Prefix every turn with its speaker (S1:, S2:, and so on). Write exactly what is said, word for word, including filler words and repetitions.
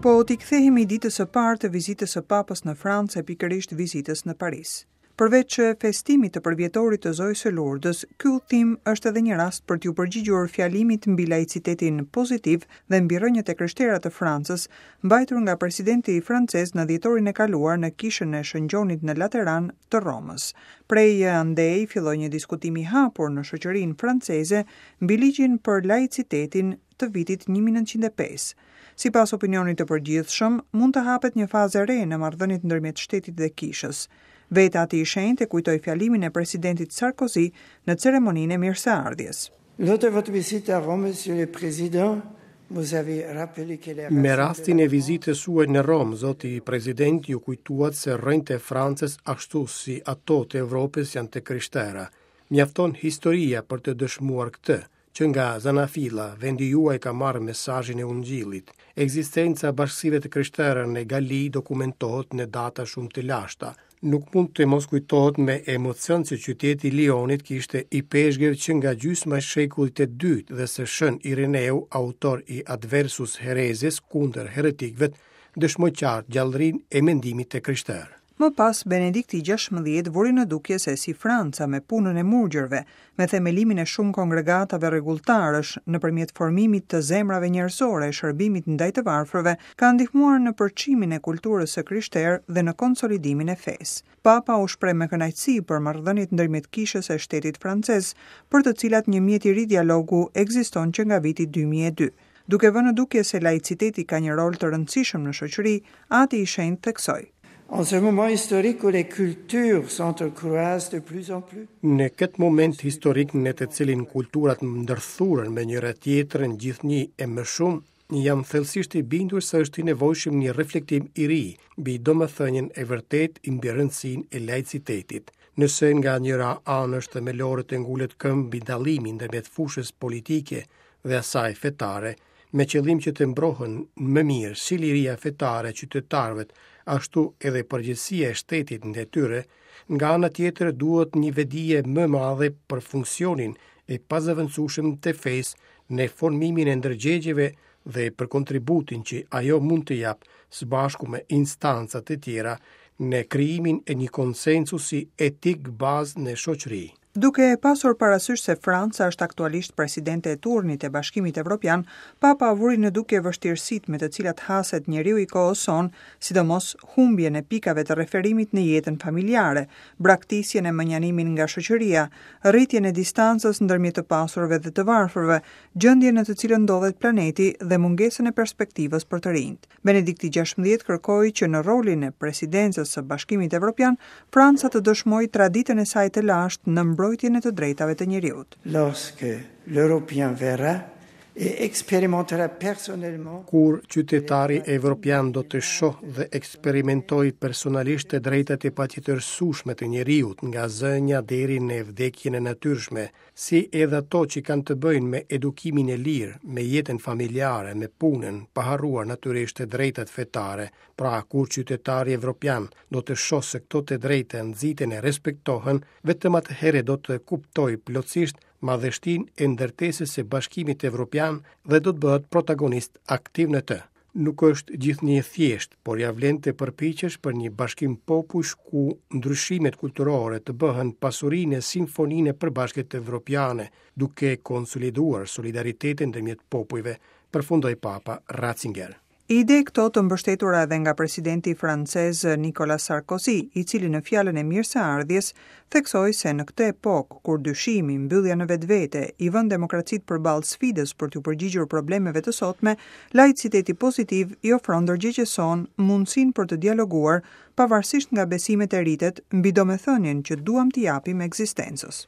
S1: Po t'i kthehemi ditës së parë të vizitës së Papës në Francë e pikërisht vizitës në Paris. Përveç festimit të përvjetorit të Zojës së Lurdës, ky udhtim është edhe një rast për t'ju përgjigjur fjalimit mbi laicitetin pozitiv dhe mbi rrënjët e krishtera të Francës, mbajtur nga presidenti francez në dhjetorin e kaluar në kishën e Shën Gjonit në Lateran të Romës. Prej andej filloi një diskutim i hapur në shoqërinë franceze mbi ligjin për laicitetin të vitit një mijë e nëntëqind e pesë. Sipas opinionit të përgjithshëm, mund të hapet një fazë e re në marrëdhëniet ndërmjet shtetit dhe kishës. Vetë Ati i Shenjtë e kujtoi fjalimin e presidentit Sarkozy në ceremoninë e mirëseardhjes.
S2: Lors de votre visite à Rome, Monsieur le Président, vous avez rappelé que les
S3: Me rastin e vizitës suaj në Romë, zoti president, ju kujtuat se rrënjët e Francës ashtu si ato të Evropës janë të krishtera. Mjafton historia për të dëshmuar këtë, që nga Zanafilla, vendi juaj ka marrë mesazhin e Ungjillit. Ekzistenca e bashkësive të krishtera në Gali dokumentohet në data shumë të lashta. Nuk mund të mos kujtohet me emocion se qyteti i Lionit kishte ipeshkëv që nga gjysma e shekullit të dytë dhe se Shën Ireneu, autor i Adversus Hereses kundër heretikëve, dëshmoi qartë gjallërinë e mendimit të krishterë.
S1: Më pas, Benedikti gjashtëmbëdhjetë vuri në dukje se si Franca me punën e murgjërve, me themelimin e shumë kongregatave rregulltarësh, nëpërmjet formimit të zemrave njerëzore e shërbimit ndaj të varfërve, ka ndihmuar në përçimin e kulturës së krishterë dhe në konsolidimin e fesë. Papa u shpreh me kënaqësi për marrëdhëniet ndërmjet kishës e shtetit francez, për të cilat një mjet i ri dialogu ekziston që nga viti dy mijë e dy. Duke vënë në dukje se laiciteti ka një rol të rëndësishëm në shoqëri, Ati i Shenjtë theksoi:
S2: En ce moment historique où les cultures s'entrecroisent de plus en plus.
S3: Në këtë moment historik në të cilin kulturat ndërthuren me njëra tjetrën gjithnjë e më shumë, jam thellësisht i bindur se është i nevojshëm një reflektim i ri mbi domethënien e vërtetë mbi rëndësinë e laicitetit. Nëse nga njëra anë është themelore të ngulet këmbë mbi dallimin ndërmjet fushës politike dhe asaj fetare, me qëllim që të mbrohen më mirë si liria fetare e qytetarëve, ashtu edhe përgjegjësia e shtetit ndaj tyre, nga ana tjetër duhet një vetëdije më madhe për funksionin e pazëvendësueshëm të fesë në formimin e ndërgjegjeve dhe për kontributin që ajo mund të japë së bashku me instancat e tjera në krijimin e një konsensusi etik bazë në shoqëri.
S1: Duke e pasur parasysh se Franca është aktualisht presidente e turnit e Bashkimit Evropian, Papa vuri në dukje vështirësitë me të cilat haset njeriu i kohës sonë, sidomos humbjen e pikave të referimit në jetën familjare, braktisjen e mënjanimin nga shoqëria, rritjen e distancës ndërmjet të pasurve dhe të varfërve, gjendjen në të cilën ndodhet planeti dhe mungesën e perspektivës për të rinjt. Benedikti gjashtëmbëdhjetë kërkoi që në rolin e presidencës së Bashkimit Evropian, Franca të dëshmojë traditën e saj të lashtë në mbrojtjen e të drejtave të njeriut.
S2: Lorsque l'Européen verra et expérimentera personnellement
S3: Kur qytetari evropian do të shohë dhe eksperimentojë personalisht të drejtat e patjetërsueshme të njeriut, nga zënja deri në vdekjen e natyrshme, si edhe ato që kanë të bëjnë me edukimin e lirë, me jetën familjare, me punën, pa harruar natyrisht të drejtat fetare, pra kur qytetari evropian do të shohë se këto të drejta nxiten e respektohen, vetëm atëherë do të kuptojë plotësisht madhështinë e ndërtesës së Bashkimit Evropian dhe do të bëhet protagonist aktiv në të. Nuk është gjithnjë e thjeshtë, por ja vlen të përpiqesh për një bashkim popujsh ku ndryshimet kulturore të bëhen pasurinë e simfoninë e përbashkët evropiane, duke konsoliduar solidaritetin ndërmjet popujve, përfundoi Papa Ratzinger.
S1: Ide këto të mbështetura edhe nga presidenti francez Nicolas Sarkozy, i cili në fjalën e mirëseardhjes theksoi se në këtë epokë kur dyshimi, mbyllja në vetvete i vën demokracitë përballë sfidës për t'u përgjigjur problemeve të sotme, laiciteti pozitiv i ofron ndërgjegjes sonë mundësinë për të dialoguar pavarësisht nga besimet e ritet mbi domethënien që duam t'i japim ekzistencës.